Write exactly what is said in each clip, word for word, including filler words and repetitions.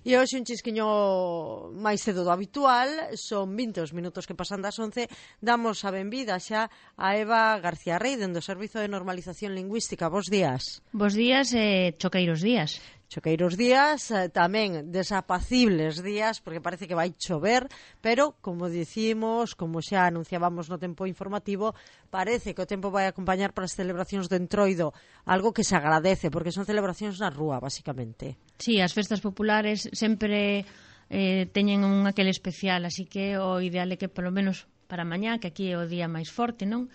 E hoxe un chisquiño máis cedo do habitual, son vinte os minutos que pasan das once, damos a benvida xa a Eva García Rey, dende o Servizo de Normalización Lingüística. Bos días. Bos días e eh, choqueiros días. Choqueiros días, eh, tamén desapacibles días, porque parece que vai chover, pero, como dicimos, como xa anunciábamos no tempo informativo, parece que o tempo vai acompañar para as celebracións do Entroido, algo que se agradece, porque son celebracións na rúa, basicamente. Sí, as festas populares sempre eh, teñen un aquel especial, así que o ideal é que, polo menos para mañá, que aquí é o día máis forte, non?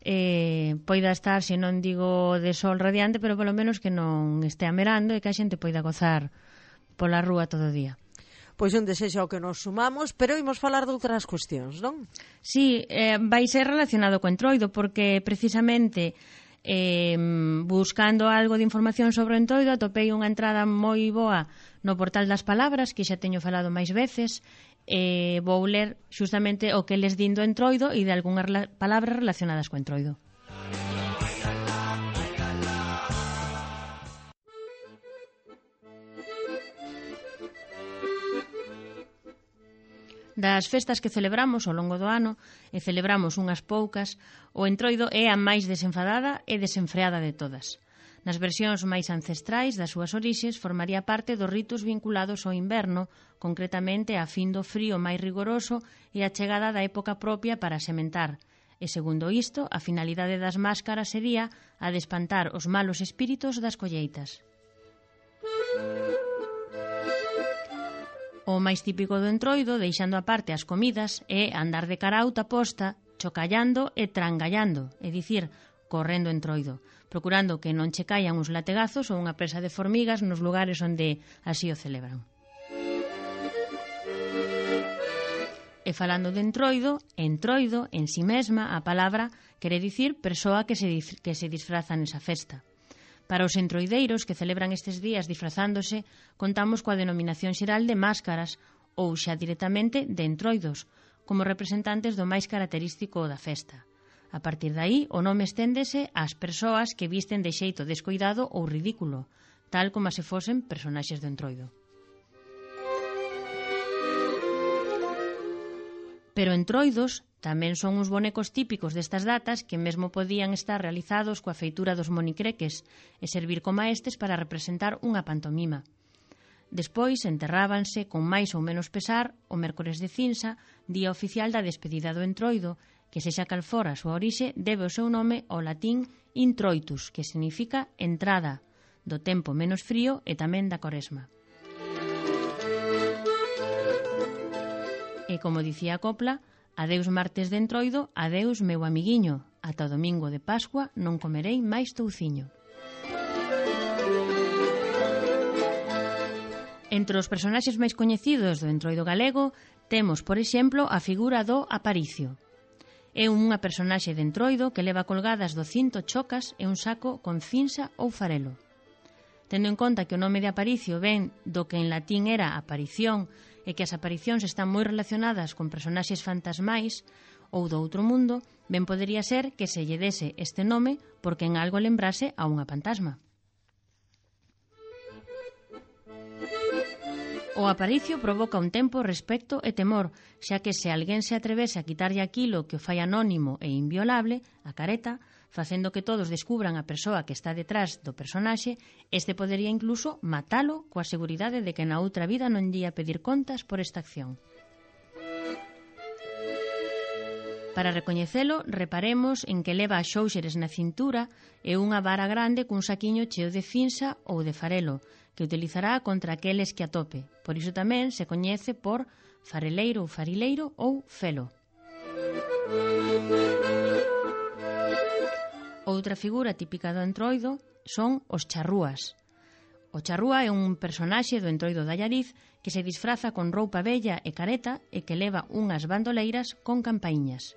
Eh, poida estar, se non digo de sol radiante, pero polo menos que non estea merando e que a xente poida gozar pola rúa todo o día. Pois un desexo ao que nos sumamos, pero imos falar de outras cuestións, non? Sí, eh, vai ser relacionado co Entroido, porque precisamente eh, buscando algo de información sobre o Entroido atopei unha entrada moi boa no portal das palabras, que xa teño falado máis veces. Eh, vou ler xustamente o que les din do Entroido e de algunhas rela- palabras relacionadas co Entroido. Das festas que celebramos ao longo do ano, e celebramos unhas poucas, o Entroido é a máis desenfadada e desenfreada de todas. Nas versións máis ancestrais das súas orixes formaría parte dos ritos vinculados ao inverno, concretamente a fin do frío máis rigoroso e a chegada da época propia para sementar. E segundo isto, a finalidade das máscaras sería a de espantar os malos espíritos das colleitas. O máis típico do Entroido, deixando aparte as comidas, é andar de cara auta posta, chocallando e trangallando, é dicir, correndo Entroido, procurando que non che caian uns lategazos ou unha presa de formigas nos lugares onde así o celebran. E falando de Entroido, Entroido, en si mesma, a palabra quere dicir persoa que se, que se disfraza nesa festa. Para os entroideiros que celebran estes días disfrazándose, contamos coa denominación xeral de máscaras ou xa directamente de entroidos, como representantes do máis característico da festa. A partir de aí, o nome esténdese ás persoas que visten de xeito descoidado ou ridículo, tal como se fosen personaxes do Entroido. Pero entroidos tamén son uns bonecos típicos destas datas que mesmo podían estar realizados coa feitura dos monicreques e servir como estes para representar unha pantomima. Despois enterrábanse con máis ou menos pesar o mércores de cinza, día oficial da despedida do Entroido, que sexa cal fora a súa orixe debe o seu nome ao latín introitus, que significa entrada, do tempo menos frío e tamén da Coresma. E como dicía a copla, adeus martes de Entroido, adeus meu amiguiño, ata o domingo de Pascua non comerei máis touciño. Entre os personaxes máis coñecidos do Entroido galego temos, por exemplo, a figura do Aparicio. É unha personaxe de Entroido que leva colgadas do cinto chocas e un saco con cinsa ou farelo. Tendo en conta que o nome de Aparicio ven do que en latín era aparición e que as aparicións están moi relacionadas con personaxes fantasmais ou do outro mundo, ben podería ser que se lle dese este nome porque en algo lembrase a unha fantasma. O aparicio provoca un tempo respecto e temor, xa que se alguén se atrevese a quitarlle aquilo que o fai anónimo e inviolable, a careta, facendo que todos descubran a persoa que está detrás do personaxe, este podería incluso matalo coa seguridade de que na outra vida non lle ia pedir contas por esta acción. Para recoñecelo, reparemos en que leva xóuxeres na cintura e unha vara grande cun saquiño cheo de cinsa ou de farelo, que utilizará contra aqueles que atope. Por iso tamén se coñece por fareleiro ou farileiro ou felo. Outra figura típica do Entroido son os charrúas. O charrúa é un personaxe do Entroido de Allariz que se disfraza con roupa bella e careta e que leva unhas bandoleiras con campaíñas.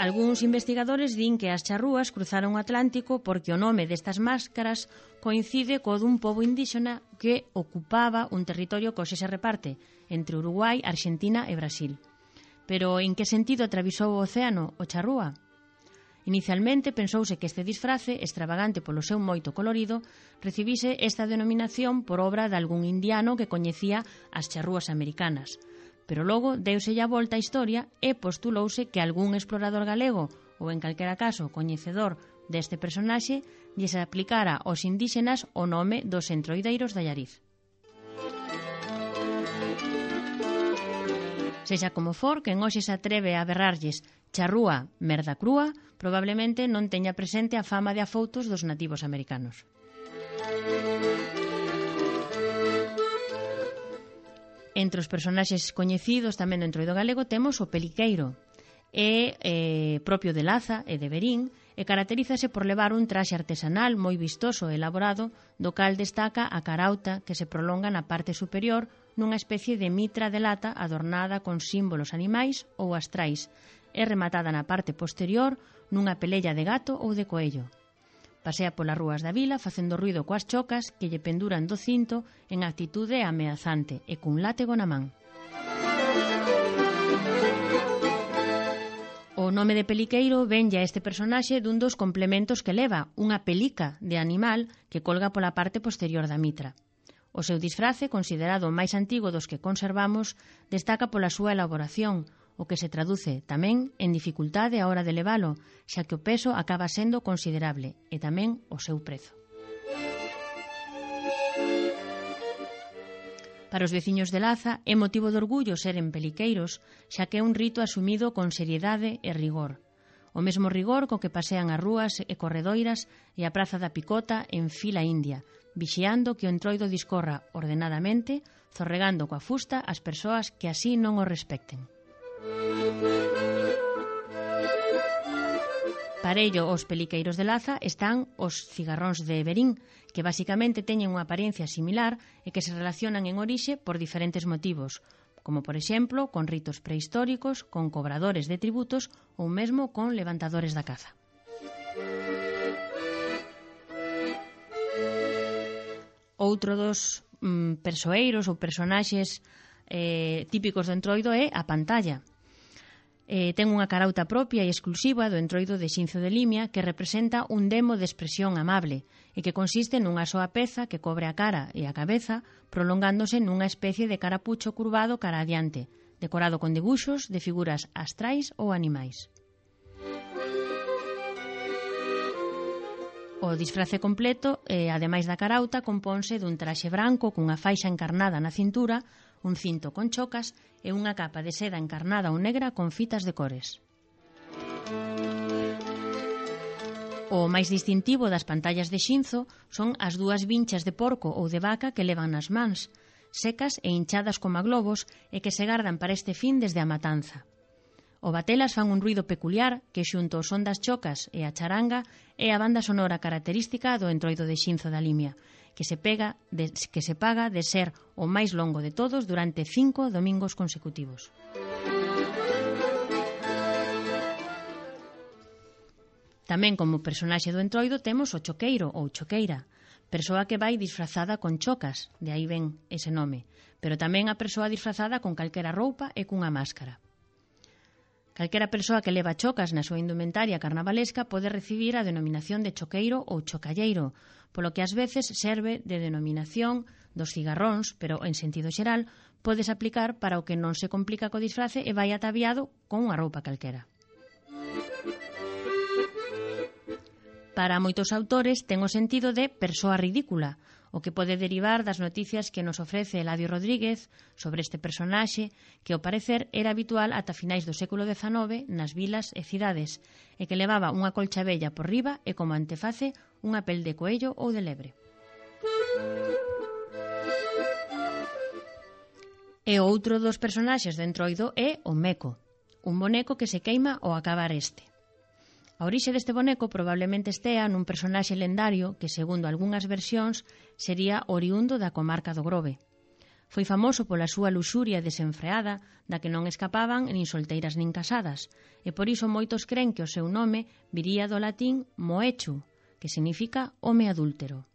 Algúns investigadores din que as charrúas cruzaron o Atlántico porque o nome destas máscaras coincide co dun pobo indíxena que ocupaba un territorio que hoxe se reparte entre Uruguai, Argentina e Brasil. Pero en que sentido atravesou o océano o charrúa? Inicialmente pensouse que este disfrace, extravagante polo seu moito colorido, recibise esta denominación por obra de algún indiano que coñecía as charrúas americanas. Pero logo deuselle a volta a historia e postulouse que algún explorador galego, ou en calquera caso coñecedor deste personaxe, lle se aplicara aos indíxenas o nome dos entroideiros de Allariz. Sexa como for, quen hoxe se atreve a berrarlles charrúa, merda crúa, probablemente non teña presente a fama de afoutos dos nativos americanos. Entre os personaxes coñecidos tamén do entroido galego temos o peliqueiro. É eh, propio de Laza e de Verín e caracterízase por levar un traxe artesanal moi vistoso e elaborado, do cal destaca a carauta que se prolonga na parte superior nunha especie de mitra de lata adornada con símbolos animais ou astrais e rematada na parte posterior nunha pelella de gato ou de coello. Pasea polas rúas da vila facendo ruido coas chocas que lle penduran do cinto en actitude ameazante e cun látego na man. O nome de peliqueiro venlle a este personaxe dun dos complementos que leva, unha pelica de animal que colga pola parte posterior da mitra. O seu disfrace, considerado o máis antigo dos que conservamos, destaca pola súa elaboración, o que se traduce tamén en dificultade a hora de levalo, xa que o peso acaba sendo considerable, e tamén o seu prezo. Para os veciños de Laza é motivo de orgullo seren peliqueiros, xa que é un rito asumido con seriedade e rigor. O mesmo rigor co que pasean as rúas e corredoiras e a Praza da Picota en fila india, vixiando que o entroido discorra ordenadamente, zorregando coa fusta as persoas que así non o respecten. Parello aos peliqueiros de Laza están os cigarróns de Verín, que basicamente teñen unha apariencia similar e que se relacionan en orixe por diferentes motivos, como por exemplo con ritos prehistóricos, con cobradores de tributos ou mesmo con levantadores da caza. Outro dos mm, persoeiros ou personaxes eh, típicos do entroido é a pantalla. Eh, ten unha carauta propia e exclusiva do entroido de Xinzo de Limia que representa un demo de expresión amable e que consiste nunha soa peza que cobre a cara e a cabeza prolongándose nunha especie de carapucho curvado cara adiante, decorado con debuxos de figuras astrais ou animais. O disfrace completo, eh, ademais da carauta, compónse dun traxe branco cunha faixa encarnada na cintura, un cinto con chocas e unha capa de seda encarnada ou negra con fitas de cores. O máis distintivo das pantallas de Xinzo son as dúas vinchas de porco ou de vaca que levan nas mans, secas e hinchadas como globos e que se gardan para este fin desde a matanza. O batelas fan un ruido peculiar que xunto ao son das chocas e a charanga é a banda sonora característica do entroido de Xinzo da Limia, que se, pega de, que se paga de ser o máis longo de todos durante cinco domingos consecutivos. Tamén como personaxe do entroido temos o choqueiro ou choqueira, persoa que vai disfrazada con chocas, de aí ven ese nome, pero tamén a persoa disfrazada con calquera roupa e cunha máscara. Calquera persoa que leva chocas na súa indumentaria carnavalesca pode recibir a denominación de choqueiro ou chocalleiro, polo que ás veces serve de denominación dos cigarróns, pero en sentido xeral podes aplicar para o que non se complica co disfrace e vai ataviado con unha roupa calquera. Para moitos autores ten o sentido de persoa ridícula, o que pode derivar das noticias que nos ofrece Eladio Rodríguez sobre este personaxe que, ao parecer, era habitual ata finais do século dezanove nas vilas e cidades e que levaba unha colcha vella por riba e como anteface unha pel de coello ou de lebre. E outro dos personaxes do entroido é o meco, un boneco que se queima ao acabar este. A orixe deste boneco probablemente estea nun personaxe lendario que, segundo algunhas versións, sería oriundo da comarca do Grove. Foi famoso pola súa luxuria desenfreada, da que non escapaban nin solteiras nin casadas, e por iso moitos cren que o seu nome viría do latín moechu, que significa home adúltero.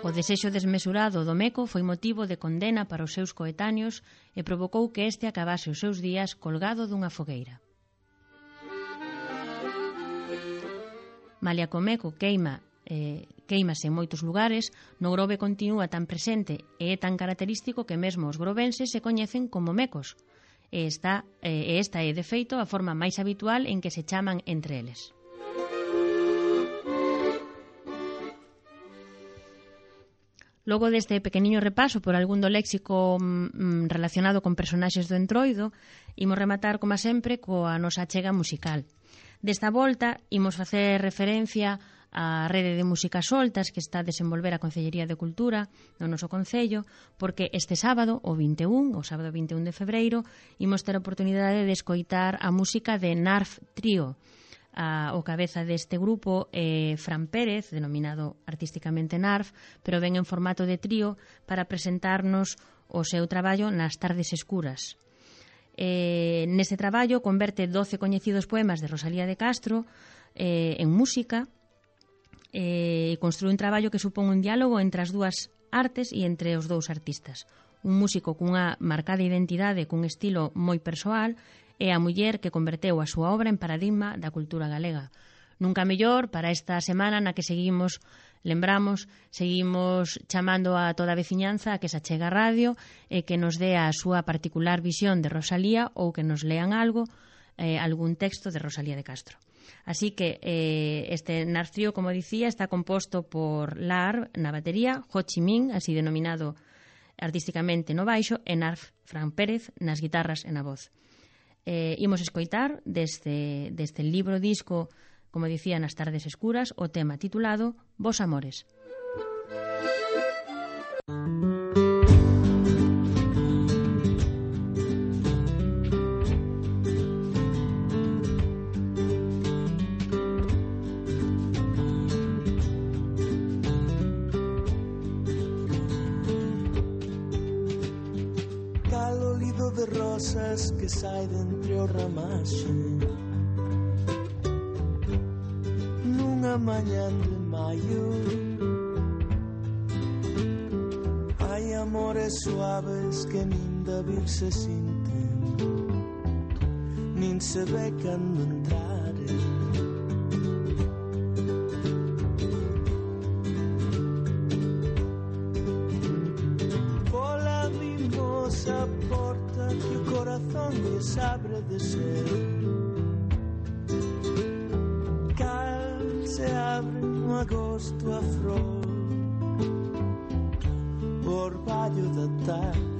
O desexo desmesurado do meco foi motivo de condena para os seus coetáneos e provocou que este acabase os seus días colgado dunha fogueira. Malia Comeco queima eh, queimase en moitos lugares, no Grove continúa tan presente e é tan característico que mesmo os grovenses se coñecen como mecos. E esta, e esta é, de feito, a forma máis habitual en que se chaman entre eles. Logo deste pequeniño repaso por algún do léxico mm, relacionado con personaxes do Entroido, imos rematar, como sempre, coa nosa achega musical. Desta volta, imos facer referencia á rede de músicas soltas que está a desenvolver a Concellería de Cultura no noso Concello, porque este sábado, o vinte e un, o sábado vinte e un de febreiro, imos ter a oportunidade de escoitar a música de Narf Trío. A, o cabeza deste grupo é Fran Pérez, denominado artísticamente Narf, pero ven en formato de trío para presentarnos o seu traballo nas tardes escuras. Eh, neste traballo converte doce coñecidos poemas de Rosalía de Castro eh, en música e eh, construe un traballo que supón un diálogo entre as dúas artes e entre os dous artistas. Un músico cunha marcada identidade, cun estilo moi persoal, e a muller que converteu a súa obra en paradigma da cultura galega. Nunca mellor para esta semana na que seguimos, lembramos, seguimos chamando a toda a veciñanza a que se achegue a radio e que nos dé a súa particular visión de Rosalía ou que nos lean algo, eh, algún texto de Rosalía de Castro. Así que eh, este Narf Trío, como dicía, está composto por Lar na batería, Ho Chi Minh, así denominado artísticamente no baixo, e Narf Fran Pérez nas guitarras e na voz. Eh, imos escoitar deste, deste libro disco, como dicía, nas tardes escuras, o tema titulado Vos Amores. De rosas que sai de entre o ramaxe nunha mañán de maio. Hai amores suaves que nin da vir se sinten, nin se ve cando entraren. Pola mimosa porta que o corazón lles abre de ser, cal se abre no agosto a flor, o orballo da tarde.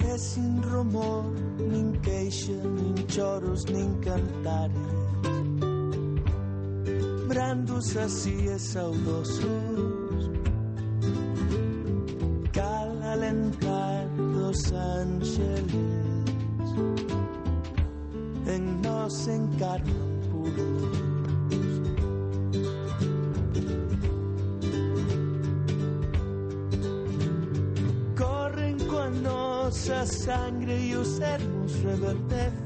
E sin rumor, nin queixa, nin choros, nin cantares, brandos así e saudosos, cal alentar dos ángeles, en nos encarnan puros. Corren coa nosa sangre e os ermos reverdecen.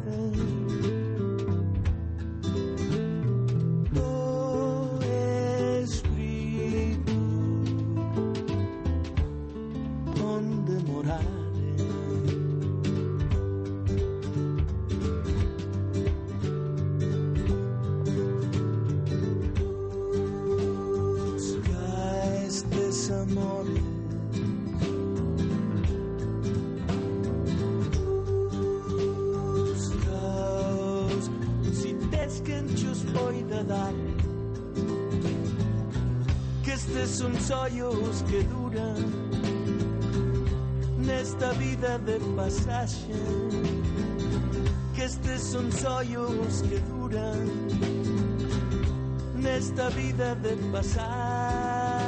Son sollos que duran nesta vida de pasaxe, que estes son sollos que duran nesta vida de pasaxe.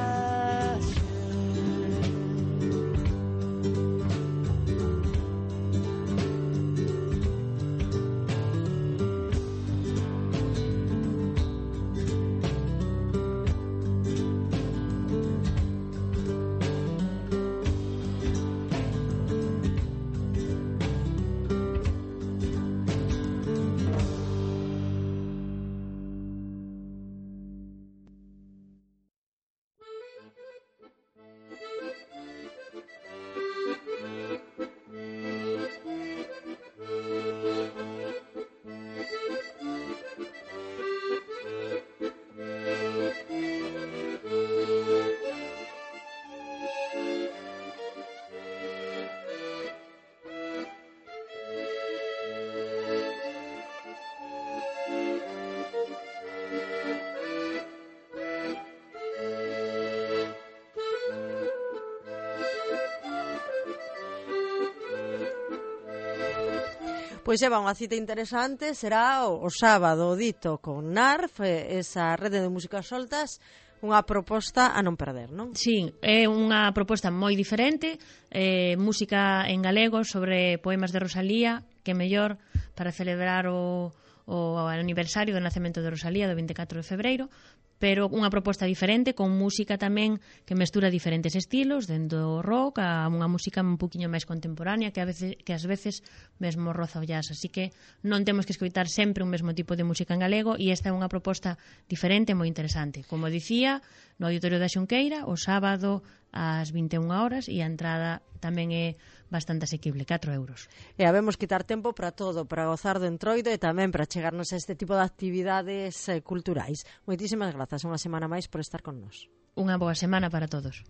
Pois Eva, unha cita interesante será o, o sábado dito con Narf, esa rede de músicas soltas, unha proposta a non perder, non? Sí, é unha proposta moi diferente, eh, música en galego sobre poemas de Rosalía, que mellor para celebrar o, o aniversario do nacemento de Rosalía do vinte e catro de febreiro, pero unha proposta diferente, con música tamén que mestura diferentes estilos, dentro do rock a unha música un poquinho máis contemporánea, que a veces que ás veces mesmo roza o jazz, así que non temos que escoitar sempre un mesmo tipo de música en galego, e esta é unha proposta diferente e moi interesante. Como dicía, no Auditorio da Xunqueira, o sábado ás vinte e unha horas, e a entrada tamén é bastante asequible, catro euros. E habemos quitar tempo para todo, para gozar do Entroido e tamén para chegarnos a este tipo de actividades eh, culturais. Moitísimas grazas, unha semana máis por estar con nós. Unha boa semana para todos.